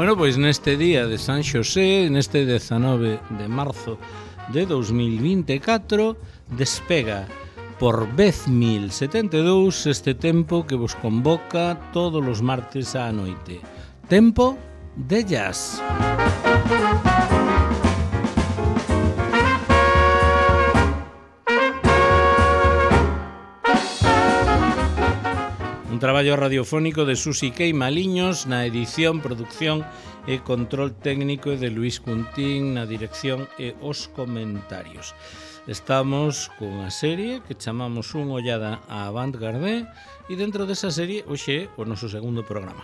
Bueno, pois neste día de San Xosé, neste 19 de marzo de 2024, despega por vez 1072 este tempo que vos convoca todos os martes á noite. Tempo de jazz. Un traballo radiofónico de Susi Kei Maliños na edición, producción e control técnico de Luis Cuntín na dirección e os comentarios. Estamos cunha serie que chamamos Unha ollada á Avant-Garde e dentro desa serie, hoxe, o noso segundo programa.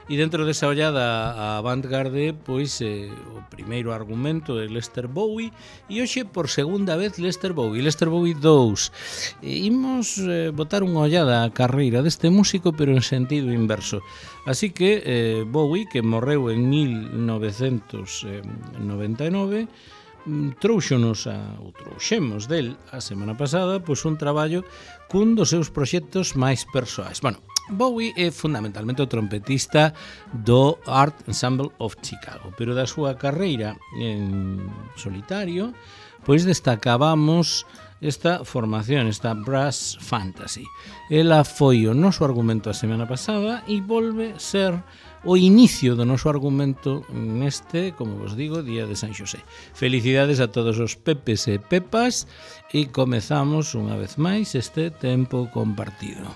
E dentro desa ollada á Avant-Garde, pois o primeiro argumento é Lester Bowie e hoxe por segunda vez Lester Bowie 2. Imos botar unha ollada á carreira deste músico pero en sentido inverso. Así que Bowie, que morreu en 1999, trouxemos del a semana pasada pois un traballo cun dos seus proxectos máis persoais. Bueno, Bowie é fundamentalmente o trompetista do Art Ensemble of Chicago, pero da súa carreira en solitario, pois destacábamos esta formación, esta Brass Fantasy. Ela foi o noso argumento a semana pasada e volve ser o inicio do noso argumento neste, como vos digo, día de San Xosé. Felicidades a todos os pepes e pepas e comezamos unha vez máis este tempo compartido.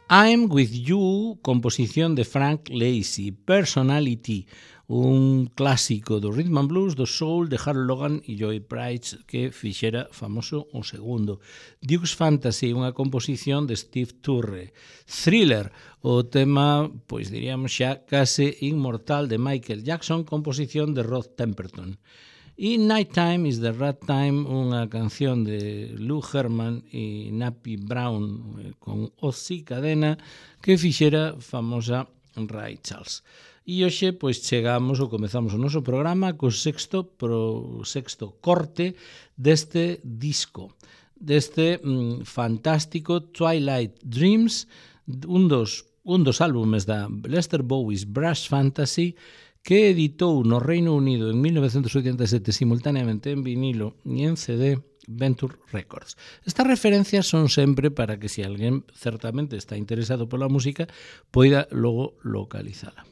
I'm With You, composición de Frank Lacy, Personality, un clásico do rhythm and blues, do soul, de Harold Logan e Joy Price, que fixera famoso o segundo. Duke's Fantasy, unha composición de Steve Turre. Thriller, o tema, pois diríamos xa, case inmortal de Michael Jackson, composición de Rod Temperton. E Nighttime is the Right Time, unha canción de Lou Herman e Nappy Brown con Ozzy Cadena que fixera famosa Ray Charles. E hoxe pois chegamos ou comezamos o noso programa co sexto corte deste disco, deste fantástico Twilight Dreams, un dos álbumes da Lester Bowie's Brass Fantasy, que editou no Reino Unido en 1987 simultáneamente en vinilo e en CD Venture Records. Estas referencias son sempre para que se alguén certamente está interesado pola música poida logo localizala.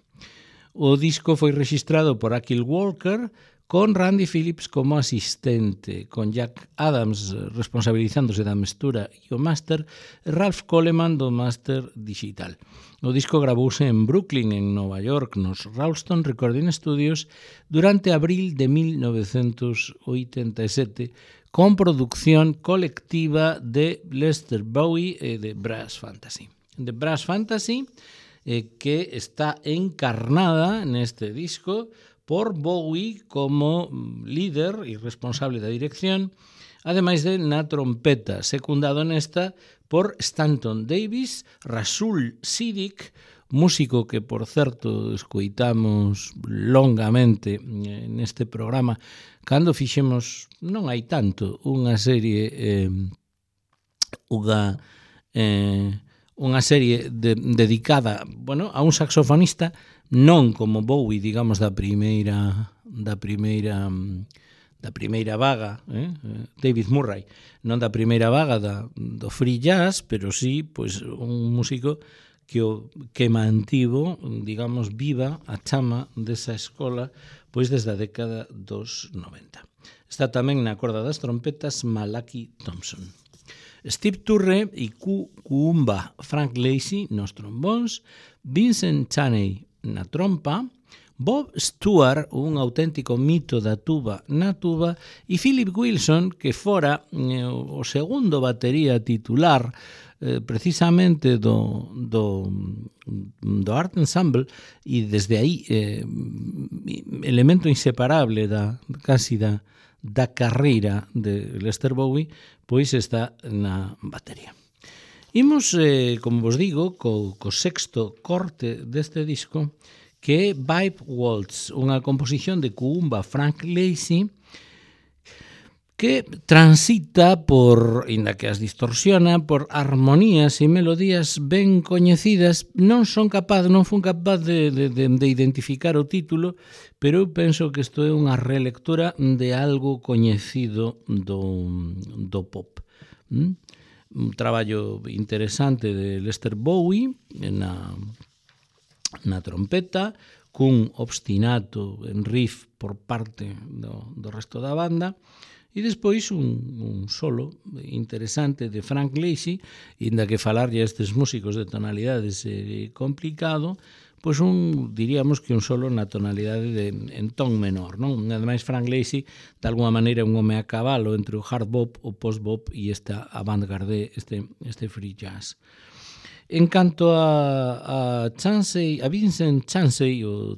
O disco foi rexistrado por Ackle Walker con Randy Phillips como asistente, con Jack Adams responsabilizándose da mestura e o máster, e Ralph Coleman do máster digital. O disco gravouse en Brooklyn, en Nova York, nos Ralston Recording Studios, durante abril de 1987, con producción colectiva de Lester Bowie e de Brass Fantasy. De Brass Fantasy, que está encarnada neste disco por Bowie como líder e responsable da dirección, ademais de na trompeta, secundado nesta por Stanton Davis, Rasul Siddiq, músico que, por certo, escoitamos longamente neste programa, cando fixemos, non hai tanto, unha serie dedicada, bueno, a un saxofonista, non como Bowie, digamos, da primeira vaga, David Murray, non da primeira vaga do free jazz, pero sí, pois, un músico que mantivo, digamos, viva a chama desa escola pois desde a década dos 90. Está tamén na corda das trompetas Malachi Thompson. Steve Turre e Kuumba Frank Lacy nos trombóns, Vincent Chaney na trompa, Bob Stewart, un auténtico mito da tuba na tuba, e Philip Wilson, que fora o segundo batería titular precisamente do Art Ensemble, e desde aí elemento inseparable da carreira de Lester Bowie, pois está na batería. Imos, como vos digo, co sexto corte deste disco, que é Vibe Waltz, unha composición de Kuumba Frank Lacy, que transita por, inda que as distorsiona, por armonías e melodías ben coñecidas. Non fun capaz de identificar o título, pero eu penso que isto é unha relectura de algo coñecido do pop. Un traballo interesante de Lester Bowie na trompeta, cun obstinato en riff por parte do resto da banda, e despois un solo interesante de Frank Lacy, inda que falarlle a estes músicos de tonalidades é complicado, pois diríamos que un solo na tonalidade en ton menor, non? Ademais, Frank Lacy, de alguma maneira, é un home a cabalo entre o hard bop, o post bop e esta avant-garde, este free jazz. En canto a Vincent Chansey, o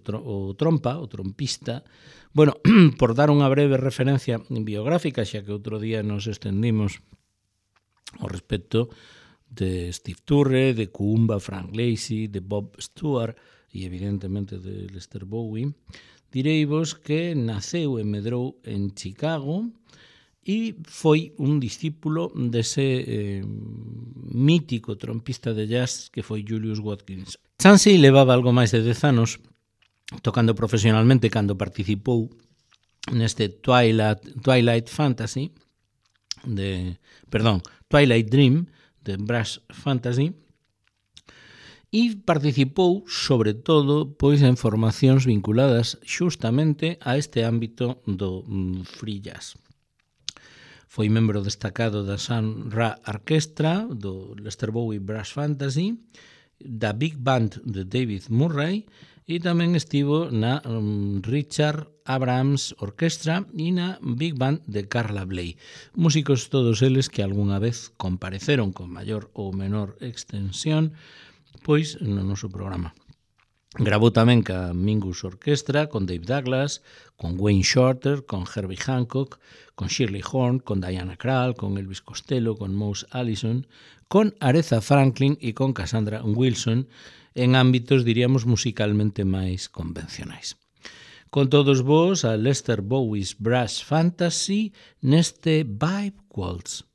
trompista, bueno, por dar unha breve referencia biográfica, xa que outro día nos estendimos ao respecto de Steve Turre, de Kuumba Frank Lacy, de Bob Stewart e evidentemente de Lester Bowie, direivos que naceu e medrou en Chicago e foi un discípulo dese mítico trompista de jazz que foi Julius Watkins. Chansey levaba algo máis de 10 anos tocando profesionalmente cando participou neste Twilight Dream de Brass Fantasy, e participou sobre todo pois en formacións vinculadas xustamente a este ámbito do free jazz. Foi membro destacado da Sun Ra Orchestra, do Lester Bowie Brass Fantasy, da Big Band de David Murray, e tamén estivo na Richard Abrams Orchestra e na Big Band de Carla Bley. Músicos todos eles que algunha vez compareceron con maior ou menor extensión pois no noso programa. Gravou tamén ca Mingus Orchestra, con Dave Douglas, con Wayne Shorter, con Herbie Hancock, con Shirley Horn, con Diana Krall, con Elvis Costello, con Mose Allison, con Aretha Franklin e con Cassandra Wilson, en ámbitos, diríamos, musicalmente máis convencionais. Con todos vos, a Lester Bowie's Brass Fantasy neste Vibe Waltz.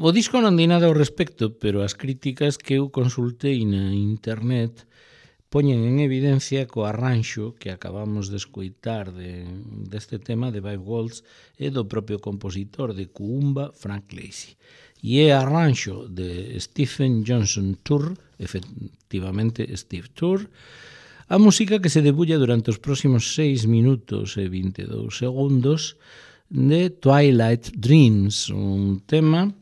O disco non di nada ao respecto, pero as críticas que eu consultei na internet poñen en evidencia co arranxo que acabamos de escoitar deste tema de Vibe Waltz e do propio compositor de Kuumba, Frank Lacy. E é arranxo de Stephen Johnson Tour, efectivamente Steve Tour, a música que se debulla durante os próximos 6 minutos e 22 segundos de Twilight Dreams, un tema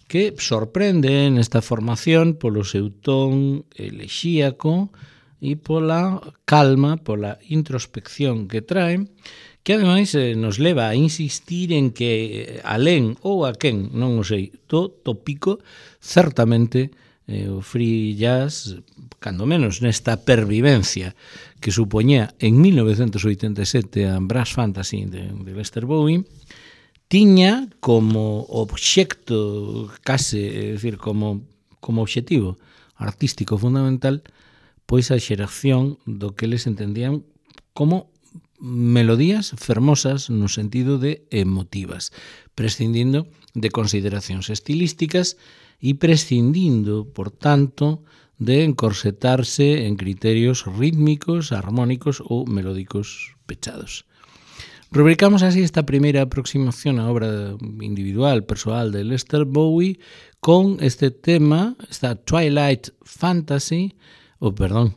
que sorprende nesta formación polo seu ton elexíaco e pola calma, pola introspección que trae, que ademais nos leva a insistir en que alén ou a quen, non o sei, do tópico, certamente o free jazz, cando menos nesta pervivencia que supoñía en 1987 a Brass Fantasy de Lester Bowie, tiña como obxecto case, é dicir, como obxectivo artístico fundamental, pois a xeración do que eles entendían como melodías fermosas no sentido de emotivas, prescindindo de consideracións estilísticas e prescindindo, por tanto, de encorsetarse en criterios rítmicos, armónicos ou melódicos pechados. Rubricamos así esta primeira aproximación á obra individual, persoal de Lester Bowie con este tema, esta Twilight Fantasy,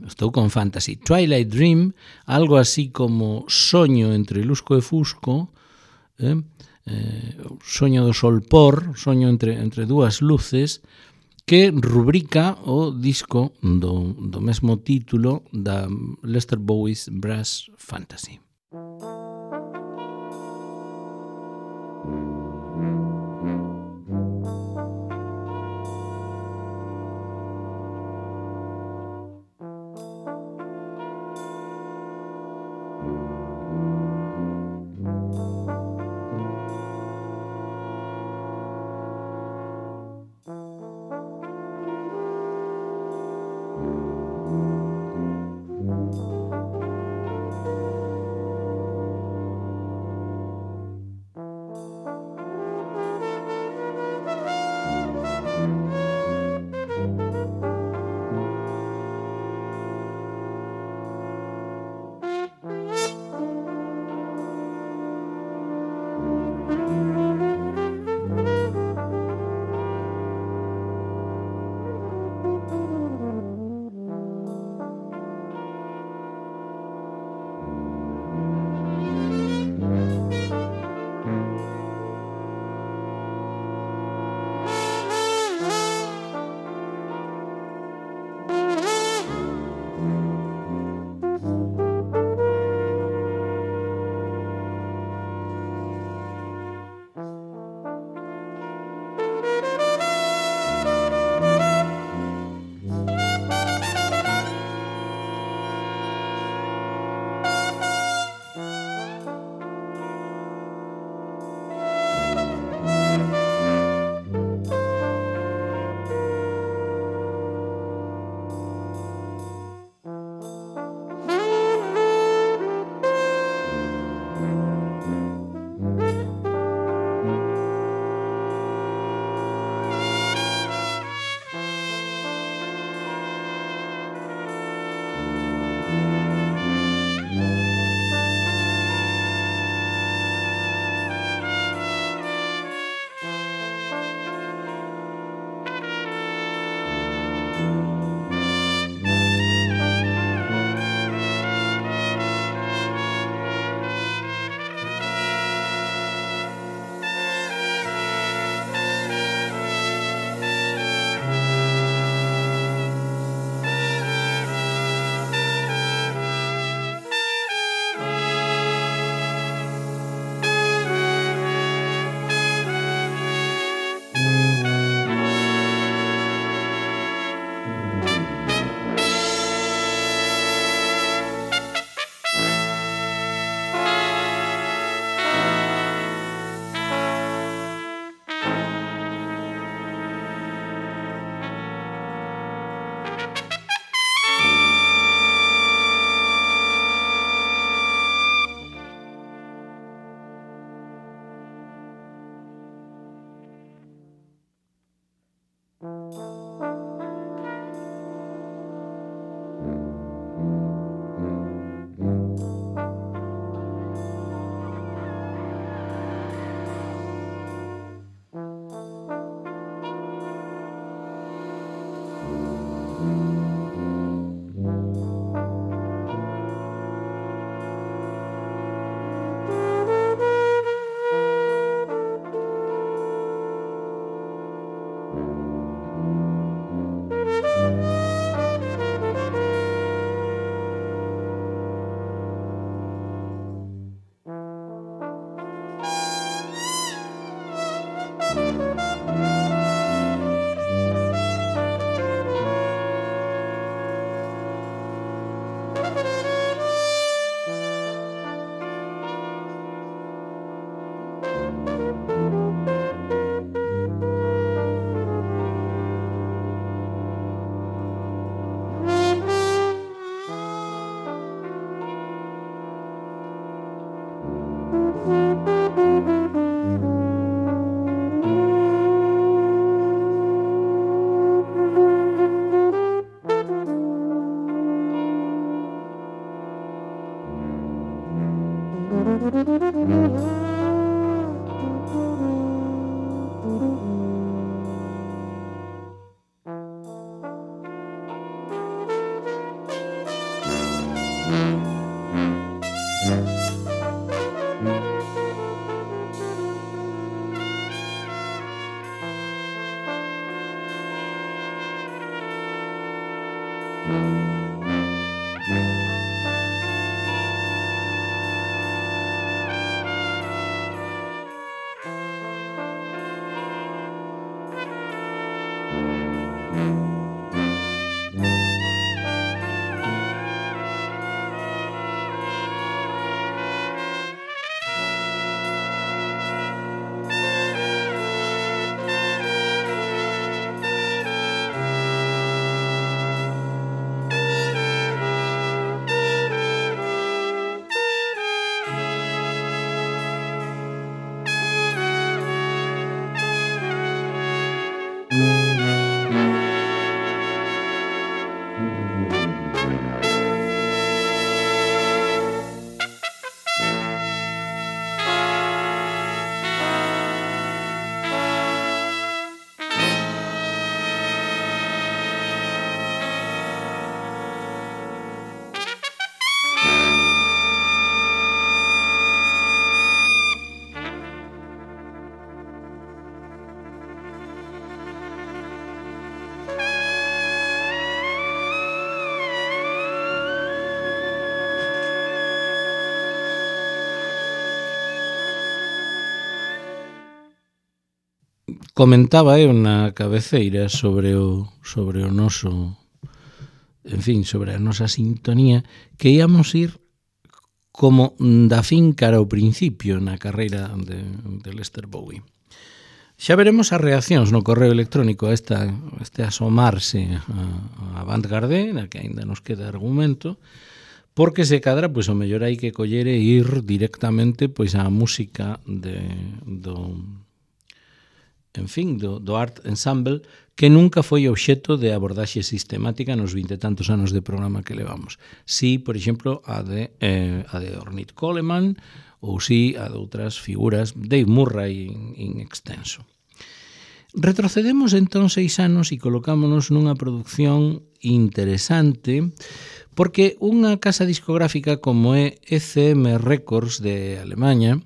estou con Fantasy, Twilight Dream, algo así como soño entre lusco e fusco, soño do solpor, soño entre dúas luces, que rubrica o disco do mesmo título da Lester Bowie's Brass Fantasy. Comentaba eu na cabeceira sobre o noso, en fin, sobre a nosa sintonía, que íamos ir como da fin cara ao principio na carreira de Lester Bowie. Xa veremos as reaccións no correo electrónico a este asomarse a Avantgarde, na que aínda nos queda argumento, porque se cadra, pois o mellor hai que coller e ir directamente pois á música do Art Ensemble, que nunca foi obxecto de abordaxe sistemática nos 20 e tantos anos de programa que levamos. Si, por exemplo, a de Ornette Coleman, ou si a de outras figuras, Dave Murray in extenso. Retrocedemos entón 6 anos e colocámonos nunha produción interesante, porque unha casa discográfica como é ECM Records de Alemanha,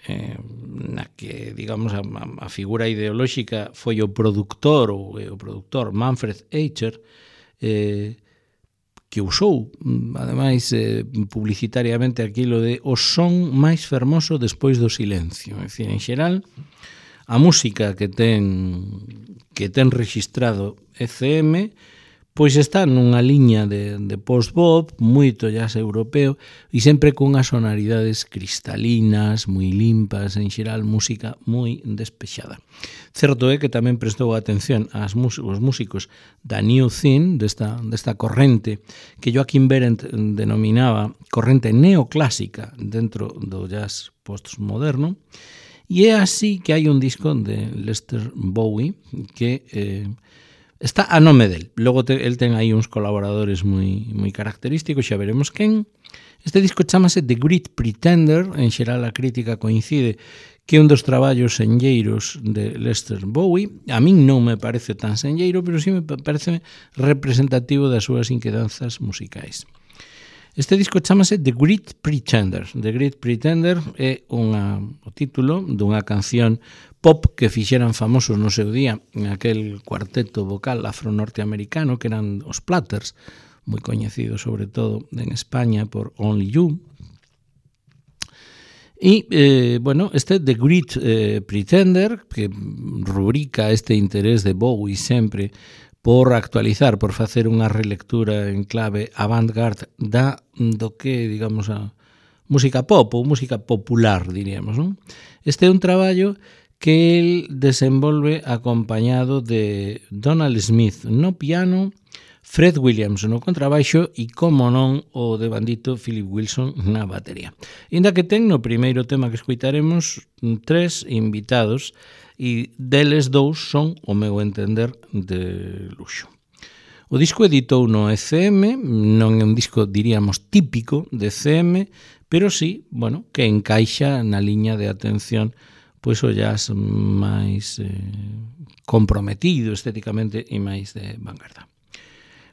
na que, digamos, a figura ideolóxica foi o produtor Manfred Eicher, que usou, ademais, publicitariamente aquilo de o son máis fermoso despois do silencio. En fin, en xeral, a música que ten registrado ECM pois está nunha liña de post-bop, moito jazz europeo, e sempre cunhas sonoridades cristalinas, moi limpas, en xeral música moi despexada. Certo é que tamén prestou atención aos músicos da New Thing, desta corrente que Joachim Behrendt denominaba corrente neoclásica dentro do jazz postmoderno, e é así que hai un disco de Lester Bowie que está a nome del. Logo el ten aí uns colaboradores moi característicos, xa veremos quen. Este disco chamase The Great Pretender, en xeral a crítica coincide que é un dos traballos senlleiros de Lester Bowie. A min non me parece tan senlleiro, pero sí me parece representativo das súas inquedanzas musicais. Este disco chamase The Great Pretender. The Great Pretender é o título dunha canción pop que fixeran famosos no seu día en aquel cuarteto vocal afro-norteamericano que eran os Platters, moi coñecidos sobre todo en España por Only You. E, este The Great Pretender, que rubrica este interés de Bowie sempre por actualizar, por facer unha relectura en clave avant-garde do que, digamos, a música pop ou música popular, diríamos, non? Este é un traballo que el desenvolve acompañado de Donald Smith no piano, Fred Williams no contrabaixo e, como non, o devandito Philip Wilson na batería. Inda que ten no primeiro tema que escoitaremos 3 invitados e deles 2 son, o meu entender, de luxo. O disco editou no ECM, non é un disco, diríamos, típico de ECM, pero sí, que encaixa na liña de atención pois o jazz máis comprometido estéticamente e máis de vanguarda.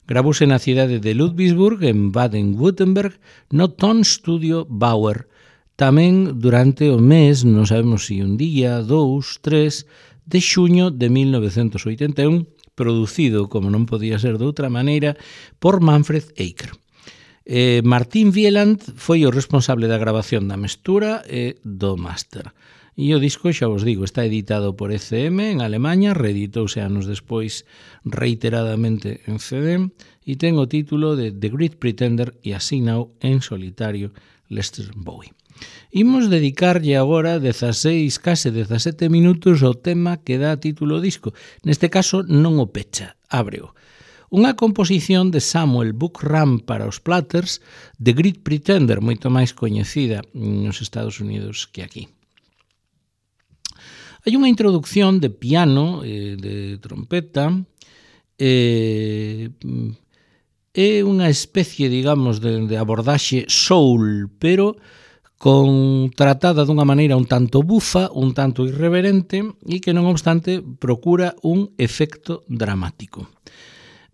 Gravouse na cidade de Ludwigsburg, en Baden-Württemberg, no Tonstudio Bauer. Tamén durante o mes, non sabemos se un día, 2, 3, de xuño de 1981, producido, como non podía ser de outra maneira, por Manfred Eicher. Martin Wieland foi o responsable da grabación da mestura e do máster. E o disco, xa vos digo, está editado por ECM en Alemanha, reeditouse anos despois reiteradamente en CD e ten o título de The Great Pretender e asignao en solitario Lester Bowie. Imos dedicarlle agora 16, case 17 minutos ao tema que dá título ao disco. Neste caso non o pecha, ábreo. Unha composición de Samuel Buckram para os Platters, The Great Pretender, moito máis coñecida nos Estados Unidos que aquí. Hai unha introducción de piano, de trompeta, é unha especie, digamos, de abordaxe soul, pero tratada dunha maneira un tanto bufa, un tanto irreverente e que non obstante procura un efecto dramático.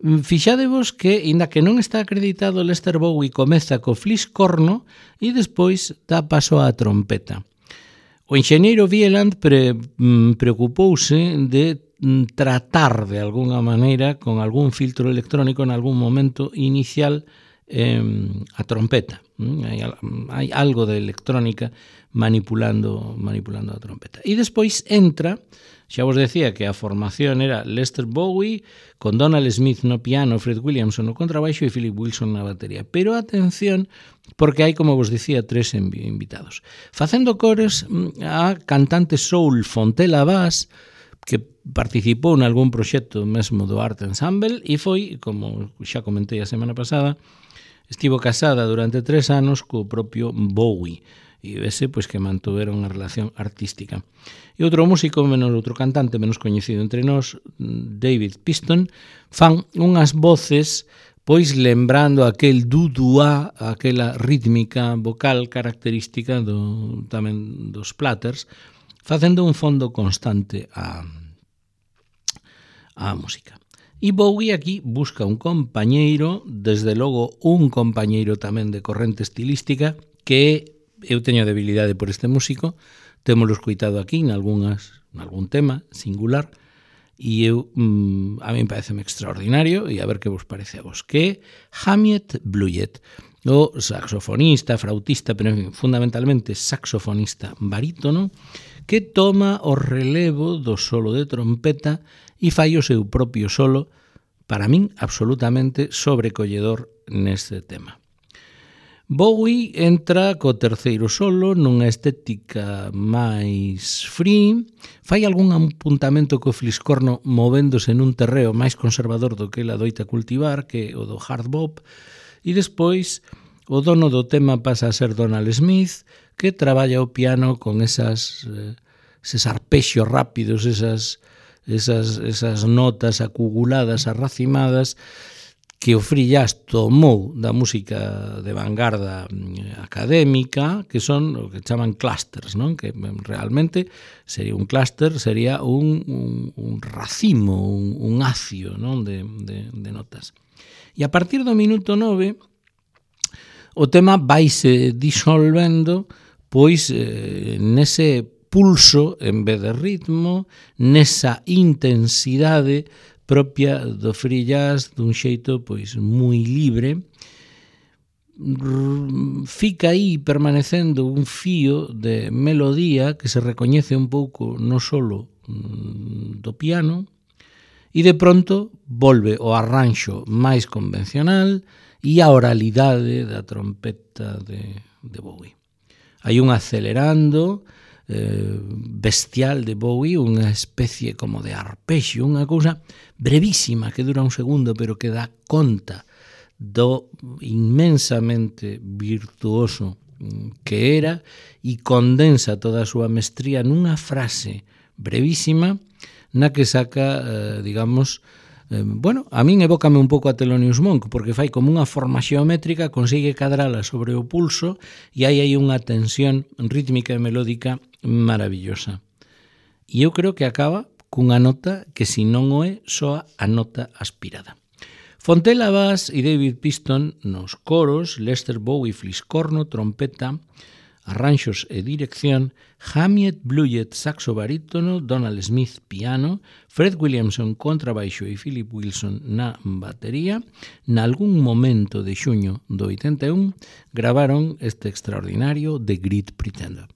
Fixadevos que, inda que non está acreditado, Lester Bowie comeza co fliscorno e despois dá paso á trompeta. O enxeñeiro Wieland preocupouse de tratar de alguna maneira con algún filtro electrónico en algún momento inicial a trompeta. Hai algo de electrónica manipulando a trompeta. E despois entra, xa vos decía que a formación era Lester Bowie con Donald Smith no piano, Fred Williamson no contrabaixo e Philip Wilson na batería. Pero atención, porque hai, como vos dicía, 3 invitados. Facendo cores a cantante soul Fontella Bass, que participou en algún proxecto mesmo do Art Ensemble e foi, como xa comentei a semana pasada, estivo casada durante 3 anos co propio Bowie e vese pois que mantuveron unha relación artística. E outro músico, outro cantante menos coñecido entre nós, David Piston, fan unhas voces pois lembrando aquel dudua, aquela rítmica vocal característica tamén dos Platters, facendo un fondo constante á música. E Bowie aquí busca un compañeiro, desde logo un compañeiro tamén de corrente estilística, que eu teño debilidade por este músico, témolo escoitado aquí en algún tema singular, e a mí pareceme extraordinario, e a ver que vos parece a vos, que é Hamiet Bluiett, o saxofonista, frautista, pero fundamentalmente saxofonista barítono, que toma o relevo do solo de trompeta e fai o seu propio solo, para min absolutamente sobrecolledor neste tema. Bowie entra co terceiro solo nunha estética máis free, fai algún apuntamento co fliscorno movéndose nun terreo máis conservador do que ela doita cultivar, que o do hard bop, e despois o dono do tema pasa a ser Donald Smith, que traballa o piano con eses arpexios rápidos, esas notas acuguladas, arracimadas, que o Free Jazz tomou da música de vanguarda académica, que son o que chaman clusters, non? Que realmente sería un cluster, sería un racimo, un acio, non? de notas. E a partir do minuto 9, o tema vaise disolvendo pois nese pulso en vez de ritmo, nesa intensidade propia do free jazz dun xeito pois moi libre. Fica aí permanecendo un fío de melodía que se recoñece un pouco no solo do piano e de pronto volve o arranxo máis convencional e a oralidade da trompeta de Bowie. Hai un acelerando bestial de Bowie, unha especie como de arpexio, unha cousa brevísima que dura un segundo pero que dá conta do inmensamente virtuoso que era e condensa toda a súa mestría nunha frase brevísima na que saca, digamos, a min evócame un pouco a Thelonious Monk, porque fai como unha forma xeométrica, consigue cadrala sobre o pulso e hai unha tensión rítmica e melódica maravillosa. E eu creo que acaba cunha nota que, se non o é, soa a nota aspirada. Fontella Bass e David Piston nos coros, Lester Bowie fliscorno, trompeta, arranxos e dirección, Hamiet Blewett saxo barítono, Donald Smith piano, Fred Williamson contrabaixo e Philip Wilson na batería. Nalgún momento de xuño do 81 gravaron este extraordinario The Great Pretender.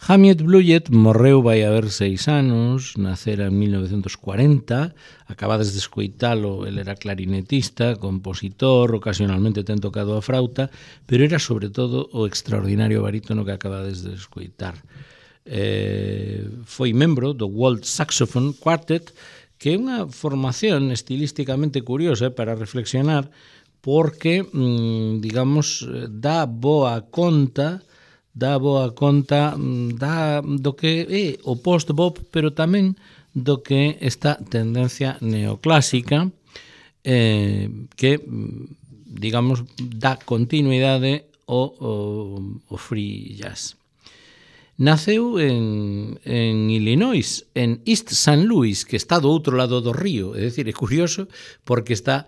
Hamiet Bluiett morreu vai haber 6 anos, nacera en 1940, acabades de escoitalo, el era clarinetista, compositor, ocasionalmente ten tocado a frauta, pero era sobre todo o extraordinario barítono que acabades de escoitar. Foi membro do World Saxophone Quartet, que é unha formación estilísticamente curiosa para reflexionar, porque, digamos, dá boa conta do que é o post-bop, pero tamén do que esta tendencia neoclásica que, digamos, dá continuidade ao free jazz. Naceu en Illinois, en East St. Louis, que está do outro lado do río. É dicir, é curioso porque está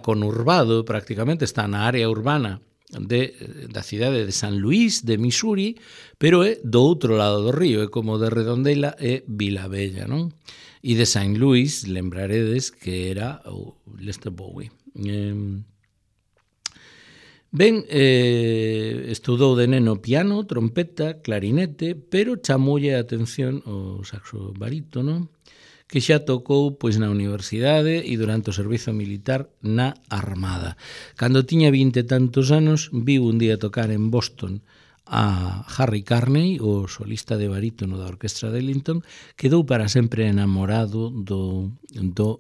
conurbado prácticamente, está na área urbana da cidade de San Luís, de Missouri, pero é do outro lado do río, é como de Redondela e Vilabella, non? E de San Luís, lembraredes que era o Lester Bowie. Estudou de neno piano, trompeta, clarinete, pero chamoulle a atención o saxo barítono, que xa tocou pois na universidade e durante o servizo militar na Armada. Cando tiña 20 e tantos anos, viu un día tocar en Boston a Harry Carney, o solista de barítono da Orquestra de Ellington, quedou para sempre enamorado do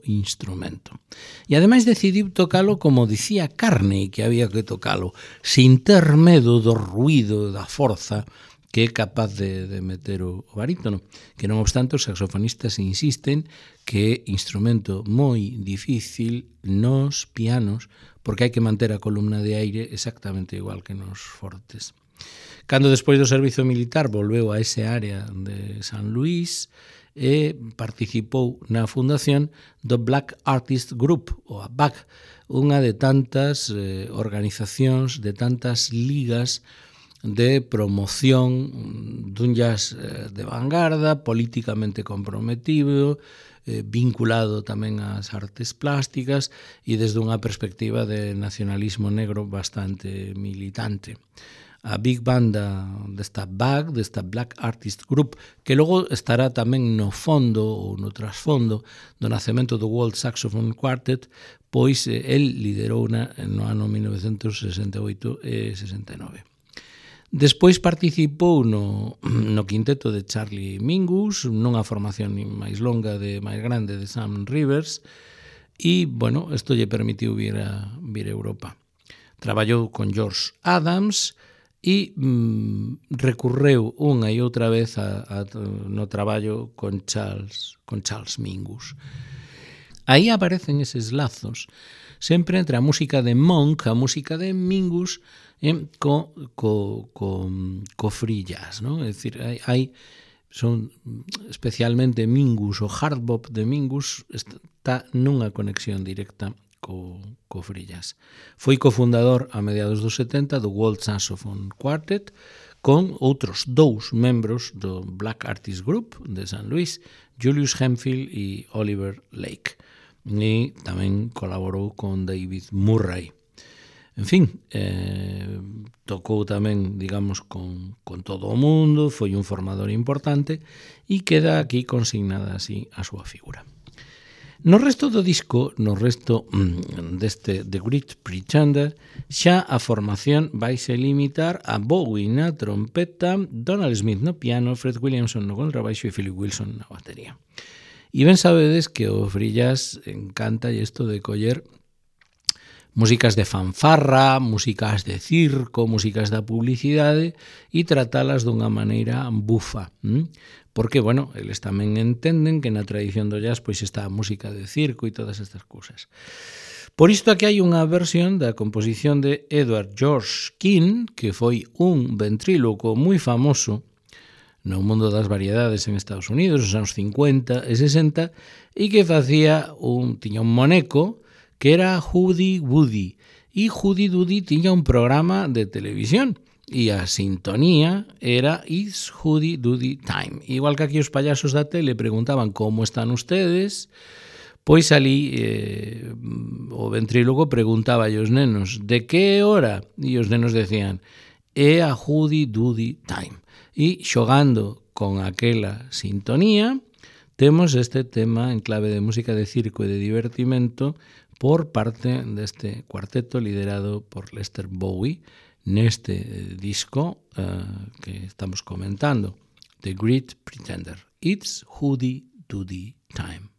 instrumento. E ademais decidiu tocalo como dicía Carney que había que tocalo, sin ter medo do ruído, da forza que é capaz de meter o barítono, que non obstante os saxofonistas insisten que é instrumento moi difícil nos pianos porque hai que manter a columna de aire exactamente igual que nos fortes. Cando despois do servizo militar volveu a ese área de San Luís e participou na fundación do Black Artist Group, ou a BAG, unha de tantas organizacións, de tantas ligas de promoción dun jazz de vanguarda, políticamente comprometido, vinculado tamén ás artes plásticas e desde unha perspectiva de nacionalismo negro bastante militante. A big banda desta BAG, desta Black Artist Group, que logo estará tamén no fondo ou no trasfondo do nacemento do World Saxophone Quartet, pois el liderou no ano 1968 e 69. Despois participou no quinteto de Charlie Mingus, nunha formación máis longa, máis grande de Sam Rivers, e, bueno, isto lle permitiu vir a Europa. Traballou con George Adams e recurreu unha e outra vez no traballo con Charles Mingus. Aí aparecen eses lazos, sempre entre a música de Monk, a música de Mingus, co free jazz, non? É dicir, son especialmente Mingus, o hard bop de Mingus está nunha conexión directa co free jazz. Foi cofundador a mediados dos 70 do World Saxophone Quartet con outros dous membros do Black Artist Group de San Luís, Julius Hemphill e Oliver Lake. E tamén colaborou con David Murray. En fin, tocou tamén, digamos, con todo o mundo, foi un formador importante e queda aquí consignada así a súa figura. No resto do disco, no resto deste The Great Pretender, xa a formación vaise limitar a Bowie na trompeta, Donald Smith no piano, Fred Williamson no contrabaixo e Philip Wilson na batería. E ben sabedes que o free jazz encanta isto de coller músicas de fanfarra, músicas de circo, músicas da publicidade e tratalas dunha maneira bufa. Porque, bueno, eles tamén entenden que na tradición do jazz pois está a música de circo e todas estas cousas. Por isto aquí hai unha versión da composición de Edward George King, que foi un ventríloco moi famoso no mundo das variedades en Estados Unidos, nos anos 50 e 60, e que tiña un moneco que era Hoody Woody, e Hoody Doody tiña un programa de televisión, e a sintonía era It's Hoody Doody Time. Igual que aquí os payasos da tele preguntaban como están ustedes, pois ali o ventrílogo preguntaba aos nenos de que hora, e os nenos decían é a Hoody Doody Time. E xogando con aquela sintonía temos este tema en clave de música de circo e de divertimento por parte deste cuarteto liderado por Lester Bowie neste disco que estamos comentando, The Great Pretender. It's Hoody Doody Time.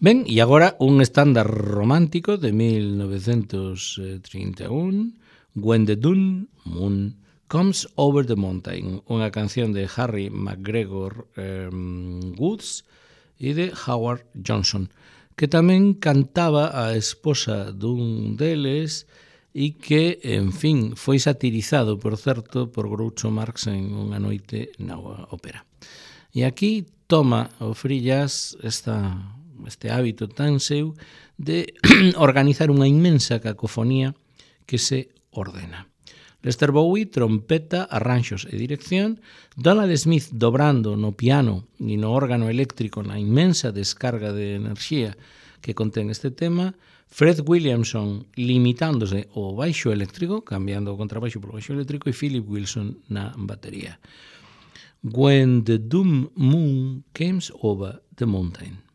Ben, e agora un estándar romántico de 1931, When the Dawn Moon Comes Over the Mountain, unha canción de Harry McGregor Woods e de Howard Johnson, que tamén cantaba a esposa dun deles e que, en fin, foi satirizado, por certo, por Groucho Marx en Unha noite na ópera. E aquí toma o free jazz este hábito tan seu de organizar unha inmensa cacofonía que se ordena. Lester Bowie, trompeta, arranxos e dirección, Donald Smith dobrando no piano e no órgano eléctrico na inmensa descarga de enerxía que contén este tema, Fred Williamson limitándose ao baixo eléctrico, cambiando o contrabaixo por baixo eléctrico, e Philip Wilson na batería. When the Dawn Moon Comes Over the Mountain.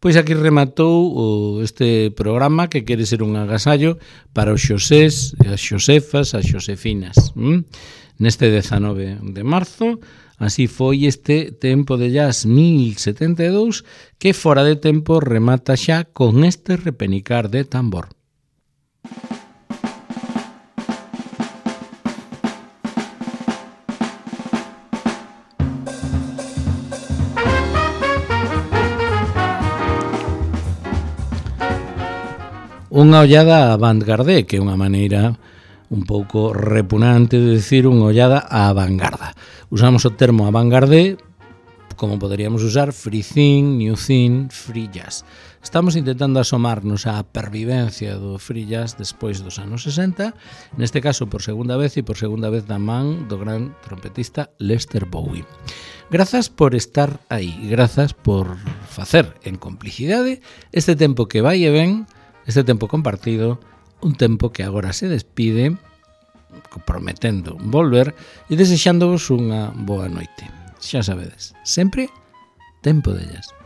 Pois aquí rematou este programa que quere ser un agasallo para os xosés, as xosefas, as xosefinas. Neste 19 de marzo, así foi este Tempo de Jazz 1072, que fora de tempo remata xa con este repenicar de tambor. unha ollada a avant-garde, que é unha maneira un pouco repugnante de decir unha ollada á vanguarda. Usamos o termo avant-garde como poderíamos usar free thing, new thing, free jazz. Estamos intentando asomarnos á pervivencia do free jazz despois dos anos 60, neste caso por segunda vez e por segunda vez da man do gran trompetista Lester Bowie. Grazas por estar aí, grazas por facer en complicidade este tempo que vai e ven, este tempo compartido, un tempo que agora se despide, prometendo volver e desexándovos unha boa noite. Xa sabedes, sempre tempo de jazz.